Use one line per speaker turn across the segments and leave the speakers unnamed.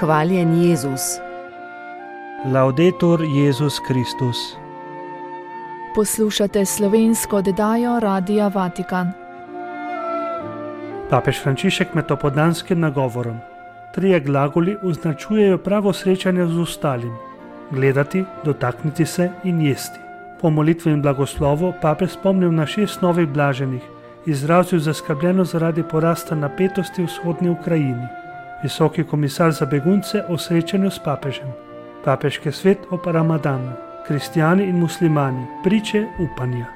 Hvaljen Jezus.
Laudetur Jezus Kristus.
Poslušate slovensko oddajo Radia Vatikan.
Papež Frančišek med opoldanskim nagovorom. Trije glagoli označujejo pravo srečanje z ostalim: gledati, dotakniti se in jesti. Po molitvi in blagoslovu papež spomnil na 6 novih blaženih, izrazil zaskrbljenost zaradi porasta napetosti v vzhodni Ukrajini. Visoki komisar za begunce o srečanju s papežem. Papeški svet ob Ramadanu. Kristijani in muslimani, priče upanja.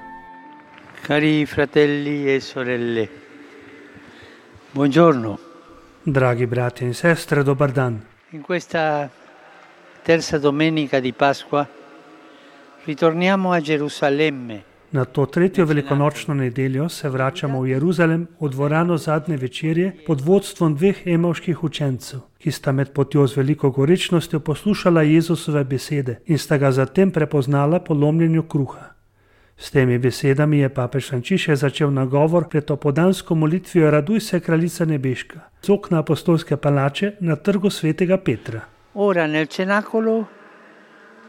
Cari fratelli e sorelle, buongiorno.
Dragi bratje in sestre, dobar dan.
In questa terza domenica di Pasqua ritorniamo a Gerusalemme.
Na to tretjo velikonočno nedeljo se vračamo v Jeruzalem, v dvorano zadnje večerje pod vodstvom 2 emavških učencev, ki sta med potjo z veliko gorečnostjo poslušala Jezusove besede in sta ga zatem prepoznala po lomljenju kruha. S temi besedami je papež Frančišek začel nagovor pred opoldansko molitvijo Raduj se, kraljica nebeška, z okna apostolske palače na trgu svetega Petra.
Ora nel cenacolo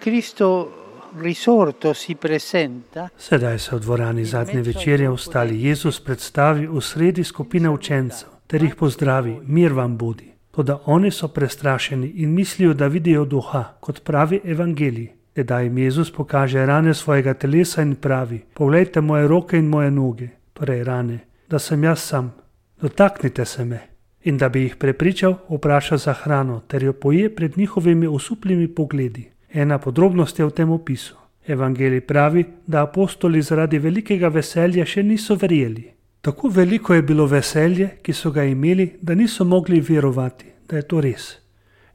Cristo risorto si presenta.
Sedaj se v dvorani zadnje večerje ostali Jezus predstavi v sredi skupine učencev ter jih pozdravi: mir vam bodi. Toda oni so prestrašeni in mislijo, da vidijo duha, kot pravi evangelij. Tedaj jim Jezus pokaže rane svojega telesa in pravi: poglejte moje roke in moje noge, torej rane, da sem jaz sam. Dotaknite se me. In da bi jih prepričal, vpraša za hrano ter jo poje pred njihovimi osuplimi pogledi. Ena podrobnost je v tem opisu. Evangelij pravi, da apostoli zaradi velikega veselja še niso verjeli. Tako veliko je bilo veselje, ki so ga imeli, da niso mogli verovati, da je to res.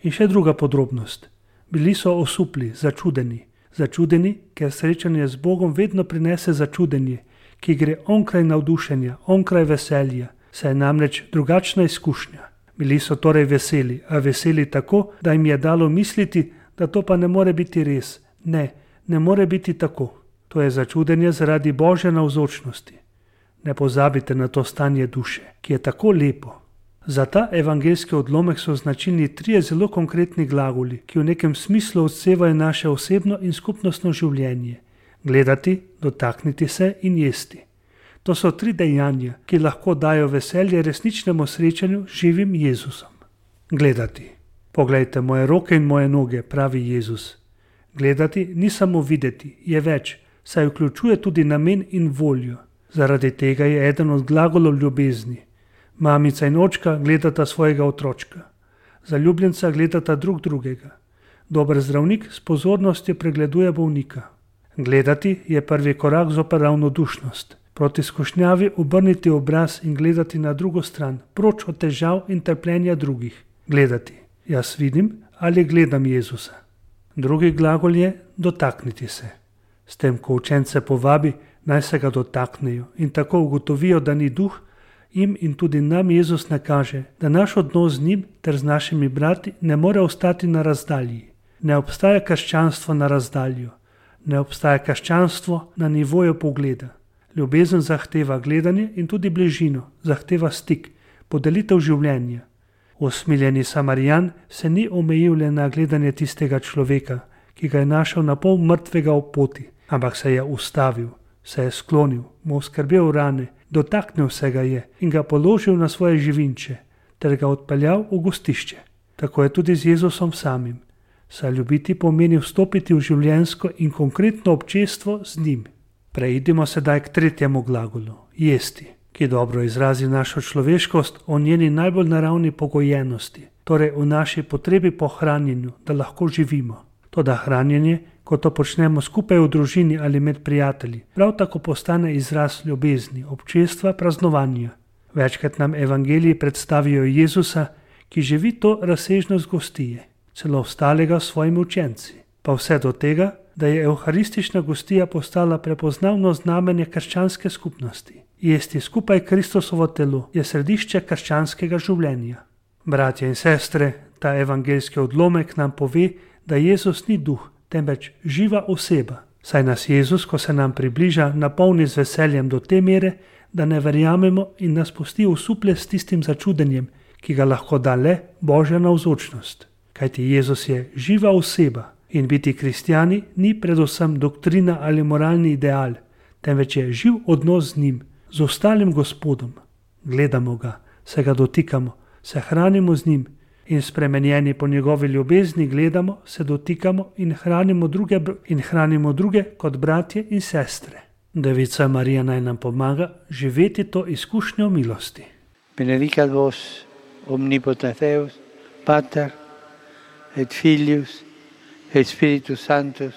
In še druga podrobnost. Bili so osupli, začudeni. Začudeni, ker srečanje z Bogom vedno prinese začudenje, ki gre onkraj navdušenja, onkraj veselja, saj je namreč drugačna izkušnja. Bili so torej veseli, a veseli tako, da jim je dalo misliti, da to pa ne more biti res. Ne more biti tako. To je začudenje zaradi Božje navzočnosti. Ne pozabite na to stanje duše, ki je tako lepo. Za ta evangeljski odlomek so značilni 3 zelo konkretni glagoli, ki v nekem smislu odsevajo naše osebno in skupnostno življenje. Gledati, dotakniti se in jesti. To so 3 dejanja, ki lahko dajo veselje resničnemu srečanju z živim Jezusom. Gledati. Poglejte moje roke in moje noge, pravi Jezus. Gledati ni samo videti, je več, saj vključuje tudi namen in voljo. Zaradi tega je eden od glagolov ljubezni. Mamica in očka gledata svojega otročka. Zaljubljenca gledata drug drugega. Dober zdravnik s pozornostjo pregleduje bolnika. Gledati je prvi korak zoper ravnodušnost. Proti skušnjavi obrniti obraz in gledati na drugo stran, proč od težav in trpljenja drugih. Gledati. Jaz vidim ali gledam Jezusa. Drugi glagol je dotakniti se. S tem, ko učence povabi, naj se ga dotaknejo in tako ugotovijo, da ni duh, jim in tudi nam Jezus nakaže, da naš odnos z njim ter z našimi brati ne more ostati na razdalji. Ne obstaja krščanstvo na razdaljo. Ne obstaja krščanstvo na nivoju pogleda. Ljubezen zahteva gledanje in tudi bližino, zahteva stik, podelitev življenja. Usmiljeni Samarijan se ni omejil le na gledanje tistega človeka, ki ga je našel na pol mrtvega ob poti, ampak se je ustavil, se je sklonil, mu skrbel rane, dotaknil se ga je in ga položil na svoje živinče, ter ga odpeljal v gostišče. Tako je tudi z Jezusom samim. Saj ljubiti pomeni vstopiti v življenjsko in konkretno občestvo z njim. Preidimo sedaj k 3. glagolu, jesti, ki dobro izrazi našo človeškost o njeni najbolj naravni pogojenosti, torej v naši potrebi po hranjenju, da lahko živimo. Toda hranjenje, ko to počnemo skupaj v družini ali med prijatelji, prav tako postane izraz ljubezni, občestva, praznovanja. Večkrat nam evangeliji predstavijo Jezusa, ki živi to razsežnost gostije, celo ostalega s svojimi učenci, pa vse do tega, da je evharistična gostija postala prepoznavno znamenje krščanske skupnosti. Jesti skupaj Kristusovo telo je središče krščanskega življenja. Bratje in sestre, ta evangeljski odlomek nam pove, da Jezus ni duh, temveč živa oseba. Saj nas Jezus, ko se nam približa, napolni z veseljem do te mere, da ne verjamemo in nas pusti osuple s tistim začudenjem, ki ga lahko da le Božja navzočnost. kajti Jezus je živa oseba in biti kristjani ni predvsem doktrina ali moralni ideal, temveč je živ odnos z njim, z ostalim Gospodom. Gledamo ga, se ga dotikamo, se hranimo z njim in spremenjeni po njegovi ljubezni gledamo, se dotikamo in hranimo druge kot bratje in sestre. Devica Marija naj nam pomaga živeti to izkušnjo milosti.
Benedicat vos omnipotens Deus, Pater et Filius et Spiritus Sanctus.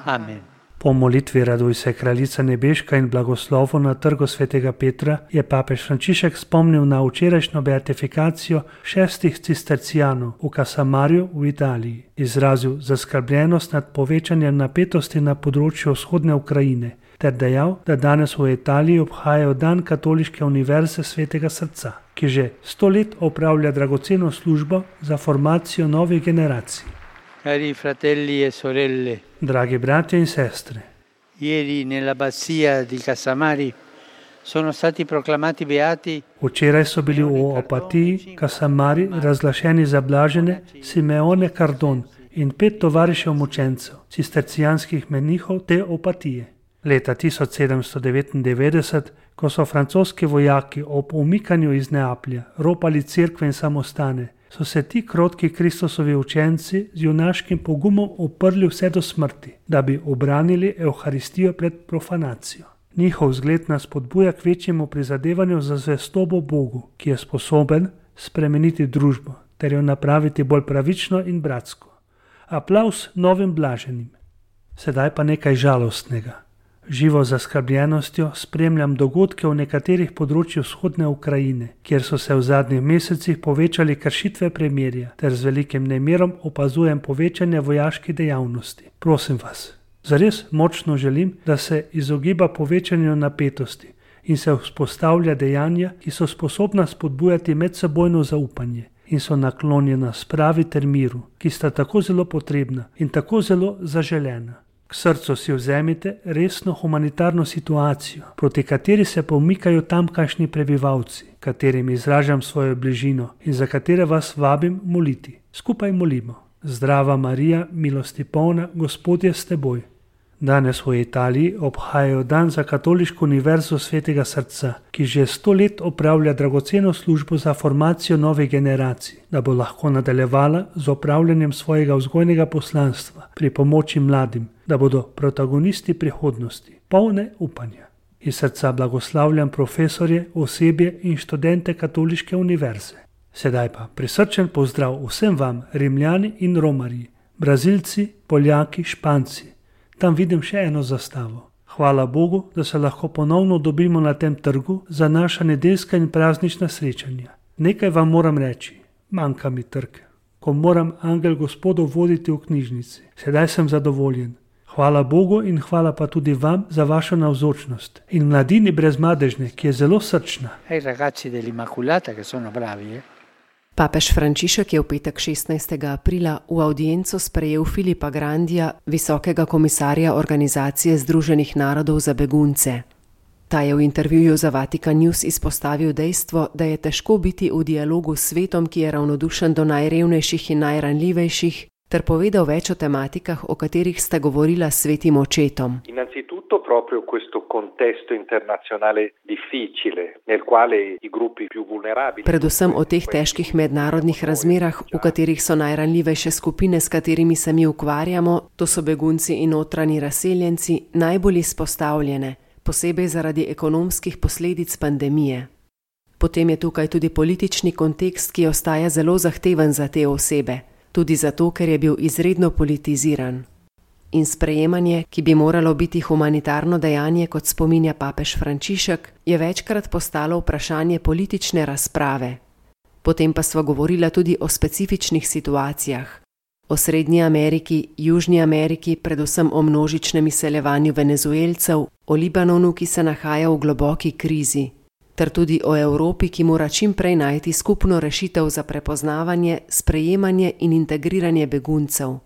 Amen.
Po molitvi Raduj se, kraljica nebeška in blagoslovu na trgu svetega Petra je papež Frančišek spomnil na včerajšnjo beatifikacijo 6 cistercijanov v Casamariju v Italiji. Izrazil zaskrbljenost nad povečanjem napetosti na področju vzhodne Ukrajine ter dejal, da danes v Italiji obhajajo dan Katoliške univerze Svetega srca, ki že 100 let opravlja dragoceno službo za formacijo novih generacij.
Cari fratelli e sorelle,
Dragi bratje in sestre,
ieri nell'abbazia di Casamari sono stati proclamati beati
včeraj so bili v Opatiji Casamari razglašeni za blažene Simeone Cardon in 5 tovarišev mučencev, cistercijanskih menihov te Opatije. Leta 1799, ko so francoski vojaki ob umikanju iz Neaplja ropali cerkve in samostane, so se ti krotki Kristusovi učenci z junaškim pogumom uprli vse do smrti, da bi obranili Evharistijo pred profanacijo. Njihov zgled nas spodbuja k večjemu prizadevanju za zvestobo Bogu, ki je sposoben spremeniti družbo ter jo napraviti bolj pravično in bratsko. Aplavz novim blaženim. Sedaj pa nekaj žalostnega. Živo zaskrbljenostjo spremljam dogodke v nekaterih področjih vzhodne Ukrajine, kjer so se v zadnjih mesecih povečali kršitve premirja, ter z velikim nemirom opazujem povečanje vojaških dejavnosti. Prosim vas, zares močno želim, da se izogiba povečanju napetosti in se vzpostavlja dejanja, ki so sposobna spodbujati medsebojno zaupanje in so naklonjena spravi ter miru, ki sta tako zelo potrebna in tako zelo zaželena. K srcu si vzemite resno humanitarno situacijo, proti kateri se pomikajo tamkajšnji prebivalci, katerim izražam svojo bližino in za katere vas vabim moliti. Skupaj molimo. Zdrava Marija, milosti polna, Gospod je s teboj. Danes v Italiji obhajajo dan za Katoliško univerzo Svetega srca, ki že 100 let opravlja dragoceno službo za formacijo novih generacij, da bo lahko nadaljevala z opravljanjem svojega vzgojnega poslanstva pri pomoči mladim, da bodo protagonisti prihodnosti, polne upanja. Iz srca blagoslavljam profesorje, osebje in študente Katoliške univerze. Sedaj pa prisrčen pozdrav vsem vam, Rimljani in Romarji, Brazilci, Poljaki, Španci. Tam vidim še eno zastavo. Hvala Bogu, da se lahko ponovno dobimo na tem trgu za naša nedeljska in praznična srečanja. Nekaj vam moram reči, manjka mi trg. Ko moram angel Gospodov voditi v knjižnici, sedaj sem zadovoljen. Hvala Bogu in hvala pa tudi vam za vašo navzočnost. In mladini brezmadežne, ki je zelo srčna.
ai ragazzi dell'Immaculata che sono bravi.
Papež Frančišek je v petek 16. aprila v audienco sprejel Filipa Grandija, visokega komisarja Organizacije Združenih narodov za begunce. Ta je v intervjuju za Vatikan News izpostavil dejstvo, da je težko biti v dialogu s svetom, ki je ravnodušen do najrevnejših in najranljivejših, ter povedal več o tematikah, o katerih sta govorila s svetim očetom.
Innanzitutto proprio questo contesto internazionale difficile, nel quale i gruppi più vulnerabili.
Predvsem o teh težkih mednarodnih razmerah, v katerih so najranljivejše skupine, s katerimi se mi ukvarjamo, to so begunci in notranji razseljenci, najbolj izpostavljene, posebej zaradi ekonomskih posledic pandemije. Potem je tukaj tudi politični kontekst, ki ostaja zelo zahteven za te osebe, tudi zato, ker je bil izredno politiziran. In sprejemanje, ki bi moralo biti humanitarno dejanje, kot spominja papež Frančišek, je večkrat postalo vprašanje politične razprave. Potem pa sva govorila tudi o specifičnih situacijah. O Srednji Ameriki, Južni Ameriki, predvsem o množičnem izseljevanju Venezuelcev, o Libanonu, ki se nahaja v globoki krizi, ter tudi o Evropi, ki mora čim prej najti skupno rešitev za prepoznavanje, sprejemanje in integriranje beguncev.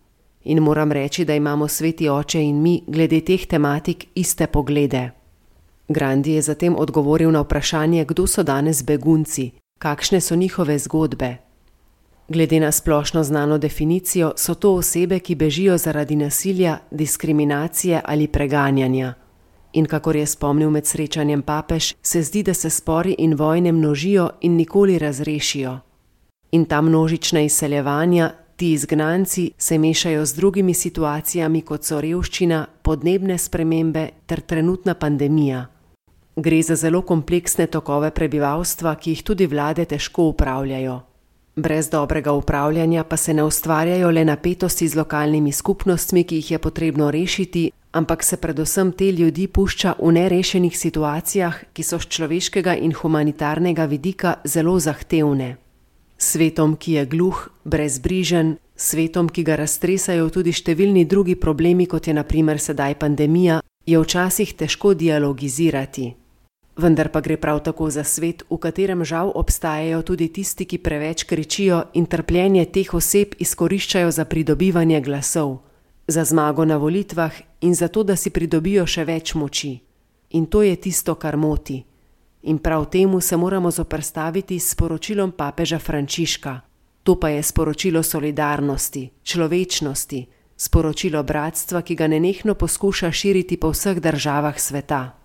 In moram reči, da imamo Sveti Oče in mi glede teh tematik iste poglede. Grandi je zatem odgovoril na vprašanje, kdo so danes begunci, kakšne so njihove zgodbe. Glede na splošno znano definicijo so to osebe, ki bežijo zaradi nasilja, diskriminacije ali preganjanja. In kakor je spomnil med srečanjem papež, se zdi, da se spori in vojne množijo in nikoli razrešijo. In ta množična izseljevanja, ti izgnanci se mešajo z drugimi situacijami, kot so revščina, podnebne spremembe ter trenutna pandemija. Gre za zelo kompleksne tokove prebivalstva, ki jih tudi vlade težko upravljajo. Brez dobrega upravljanja pa se ne ustvarjajo le napetosti z lokalnimi skupnostmi, ki jih je potrebno rešiti, ampak se predvsem te ljudi pušča v nerešenih situacijah, ki so z človeškega in humanitarnega vidika zelo zahtevne. Svetom, ki je gluh, brezbrižen, svetom, ki ga raztresajo tudi številni drugi problemi, kot je na primer sedaj pandemija, je včasih težko dialogizirati. Vendar pa gre prav tako za svet, v katerem žal obstajajo tudi tisti, ki preveč kričijo in trpljenje teh oseb izkoriščajo za pridobivanje glasov, za zmago na volitvah in za to, da si pridobijo še več moči. In to je tisto, kar moti. In prav temu se moramo zoperstaviti s sporočilom papeža Frančiška. To pa je sporočilo solidarnosti, človečnosti, sporočilo bratstva, ki ga nenehno poskuša širiti po vseh državah sveta.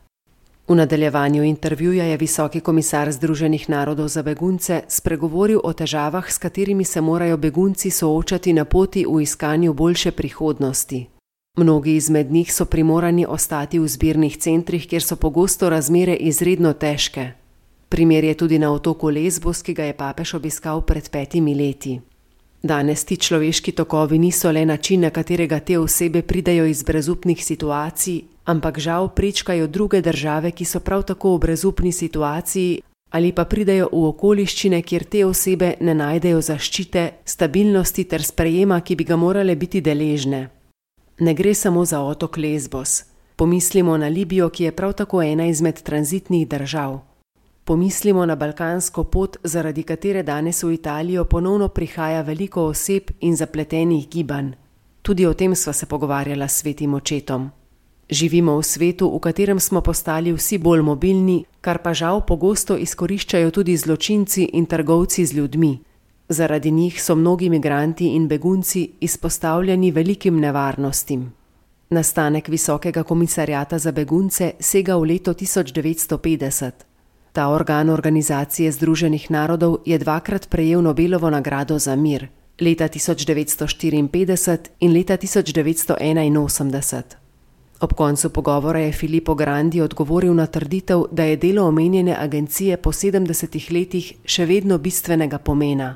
V nadaljevanju intervjuja je visoki komisar Združenih narodov za begunce spregovoril o težavah, s katerimi se morajo begunci soočati na poti v iskanju boljše prihodnosti. Mnogi izmed njih so primorani ostati v zbirnih centrih, kjer so pogosto razmere izredno težke. Primer je tudi na otoku Lesbos, ki ga je papež obiskal pred 5 leti. Danes ti človeški tokovi niso le način, na katerega te osebe pridejo iz brezupnih situacij, ampak žal prečkajo druge države, ki so prav tako v brezupni situaciji, ali pa pridejo v okoliščine, kjer te osebe ne najdejo zaščite, stabilnosti ter sprejema, ki bi ga morale biti deležne. Ne gre samo za otok Lesbos. Pomislimo na Libijo, ki je prav tako ena izmed tranzitnih držav. Pomislimo na balkansko pot, zaradi katere danes v Italijo ponovno prihaja veliko oseb in zapletenih gibanj. Tudi o tem sva se pogovarjala s svetim očetom. Živimo v svetu, v katerem smo postali vsi bolj mobilni, kar pa žal pogosto izkoriščajo tudi zločinci in trgovci z ljudmi. Zaradi njih so mnogi migranti in begunci izpostavljeni velikim nevarnostim. Nastanek Visokega komisarjata za begunce sega v leto 1950. Ta organ Organizacije Združenih narodov je 2-krat prejel Nobelovo nagrado za mir, leta 1954 in leta 1981. Ob koncu pogovora je Filippo Grandi odgovoril na trditev, da je delo omenjene agencije po 70 letih še vedno bistvenega pomena.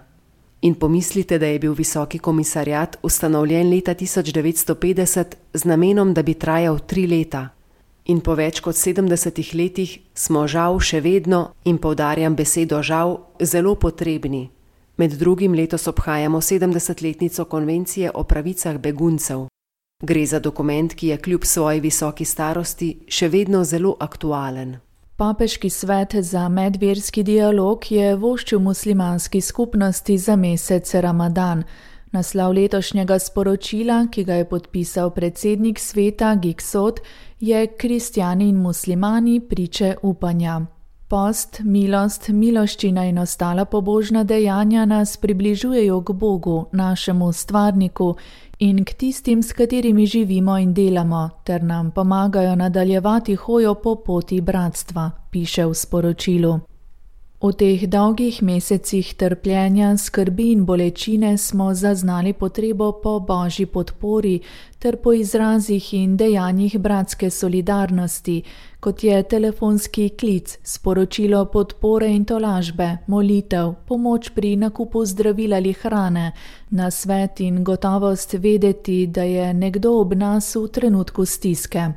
In pomislite, da je bil Visoki komisarjat ustanovljen leta 1950 z namenom, da bi trajal 3 leta. In po več kot 70 letih smo žal še vedno, in poudarjam besedo žal, zelo potrebni. Med drugim letos obhajamo 70-letnico konvencije o pravicah beguncev. Gre za dokument, ki je kljub svoji visoki starosti še vedno zelo aktualen.
Papeški svet za medverski dialog je voščil muslimanski skupnosti za mesec Ramadan. Naslov letošnjega sporočila, ki ga je podpisal predsednik sveta Giksot, je Kristjani in muslimani priče upanja. Post, milost, miloščina in ostala pobožna dejanja nas približujejo k Bogu, našemu stvarniku, in k tistim, s katerimi živimo in delamo, ter nam pomagajo nadaljevati hojo po poti bratstva, piše v sporočilu. V teh dolgih mesecih trpljenja, skrbi in bolečine smo zaznali potrebo po božji podpori ter po izrazih in dejanjih bratske solidarnosti, kot je telefonski klic, sporočilo podpore in tolažbe, molitev, pomoč pri nakupu zdravil ali hrane, nasvet in gotovost vedeti, da je nekdo ob nas v trenutku stiske.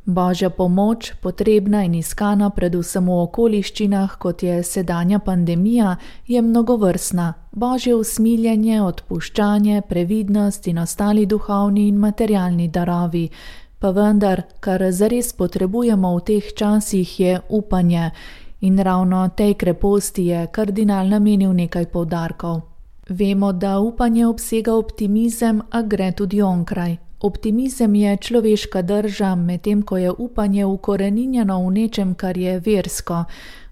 Božja pomoč, potrebna in iskana predvsem v okoliščinah, kot je sedanja pandemija, je mnogovrstna. Božje usmiljenje, odpuščanje, previdnost in ostali duhovni in materialni darovi. Pa vendar, kar zares potrebujemo v teh časih, je upanje. In ravno tej kreposti je kardinal namenil nekaj poudarkov. Vemo, da upanje obsega optimizem, a gre tudi onkraj. Optimizem je človeška drža, medtem ko je upanje ukoreninjeno v nečem, kar je versko.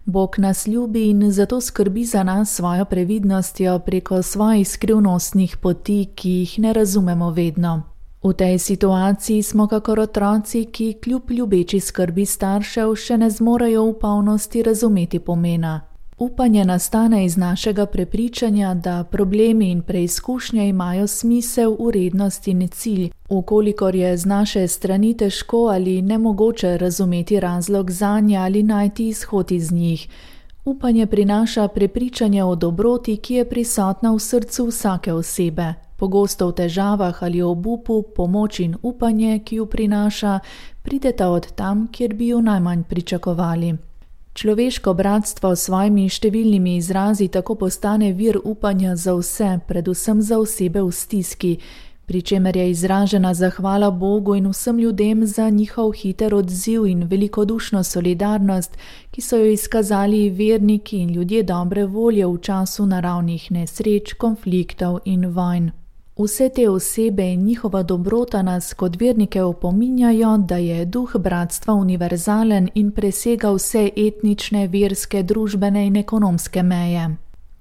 Bog nas ljubi in zato skrbi za nas svojo previdnostjo preko svojih skrivnostnih poti, ki jih ne razumemo vedno. V tej situaciji smo kakor otroci, ki kljub ljubeči skrbi staršev še ne zmorejo v polnosti razumeti pomena. Upanje nastane iz našega prepričanja, da problemi in preizkušnje imajo smisel, vrednost in cilj, ukolikor je z naše strani težko ali nemogoče razumeti razlog zanje ali najti izhod iz njih. Upanje prinaša prepričanje o dobroti, ki je prisotna v srcu vsake osebe. Pogosto v težavah ali obupu, pomoč in upanje, ki jo prinaša, prideta od tam, kjer bi jo najmanj pričakovali. Človeško bratstvo s svojimi številnimi izrazi tako postane vir upanja za vse, predvsem za osebe v stiski, pri čemer je izražena zahvala Bogu in vsem ljudem za njihov hiter odziv in velikodušno solidarnost, ki so jo izkazali verniki in ljudje dobre volje v času naravnih nesreč, konfliktov in vojn. Vse te osebe in njihova dobrota nas kot vernike opominjajo, da je duh bratstva univerzalen in presega vse etnične, verske, družbene in ekonomske meje.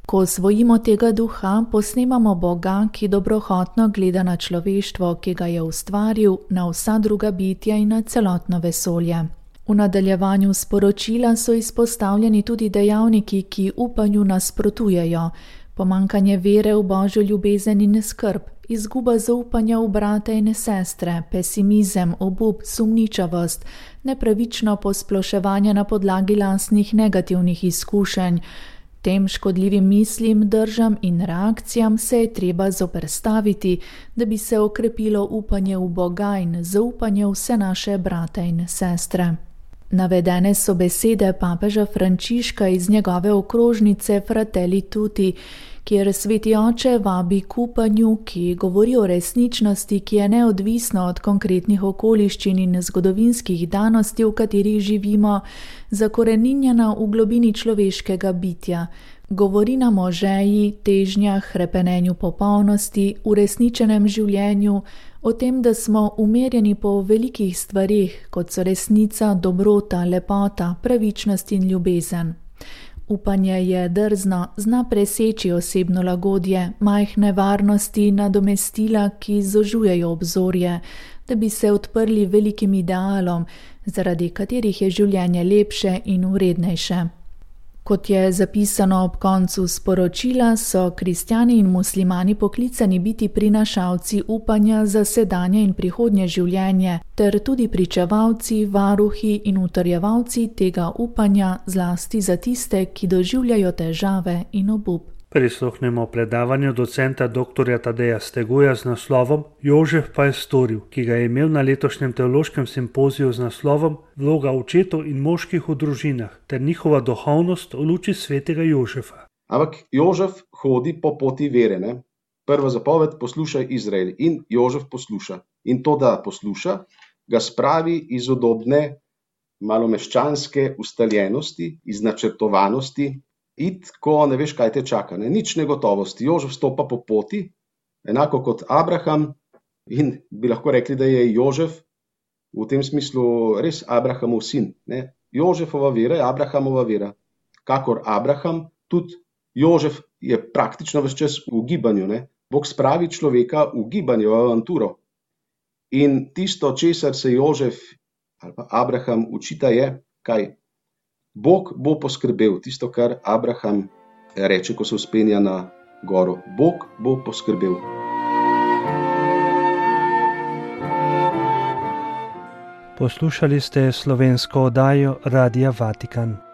Ko osvojimo tega duha, posnemamo Boga, ki dobrohotno gleda na človeštvo, ki ga je ustvaril, na vsa druga bitja in na celotno vesolje. V nadaljevanju sporočila so izpostavljeni tudi dejavniki, ki upanju nasprotujejo. Pomankanje vere v Božjo ljubezen in skrb, izguba zaupanja v brate in sestre, pesimizem, obup, sumničavost, nepravično posploševanje na podlagi lastnih negativnih izkušenj. Tem škodljivim mislim, držam in reakcijam se je treba zoperstaviti, da bi se okrepilo upanje v Boga in zaupanje v vse naše brate in sestre. Navedene so besede papeža Frančiška iz njegove okrožnice Fratelli Tutti, kjer sveti oče vabi k upanju, ki govori o resničnosti, ki je neodvisna od konkretnih okoliščin in zgodovinskih danosti, v katerih živimo, zakoreninjena v globini človeškega bitja. Govori nam o želji, težnjah, hrepenenju popolnosti, uresničenem življenju, o tem, da smo umerjeni po velikih stvarih, kot so resnica, dobrota, lepota, pravičnost in ljubezen. Upanje je drzno, zna preseči osebno lagodje, majhne varnosti, nadomestila, ki zožujejo obzorje, da bi se odprli velikim idealom, zaradi katerih je življenje lepše in vrednejše. Kot je zapisano ob koncu sporočila, so kristjani in muslimani poklicani biti prinašalci upanja za sedanje in prihodnje življenje, ter tudi pričevalci, varuhi in utrjevalci tega upanja, zlasti za tiste, ki doživljajo težave in obup.
Prisluhnemo predavanju docenta dr. Tadeja Steguja z naslovom Jožef pa je storil, ki ga je imel na letošnjem teološkem simpoziju z naslovom Vloga očetov in moških v družinah ter njihova duhovnost v luči svetega Jožefa.
Ampak Jožef hodi po poti vere, ne? Prva zapoved, poslušaj Izrael, in Jožef posluša. In to, da posluša, ga spravi iz udobne malomeščanske ustaljenosti, iz načrtovanosti, ko ne veš, kaj te čaka, ne? Nič negotovosti. Jožef stopa po poti, enako kot Abraham, in bi lahko rekli, da je Jožef v tem smislu res Abrahamov sin. Ne? Jožefova vera je Abrahamova vera. Kakor Abraham, tudi Jožef je praktično ves čas v gibanju. Ne? Bog spravi človeka v gibanje, v avanturo. In tisto, česar se Jožef ali pa Abraham učita, je, kaj? Bog bo poskrbel, tisto, kar Abraham reče, ko se vzpenja na goro. Bog bo poskrbel.
Poslušali ste slovensko oddajo Radia Vatikan.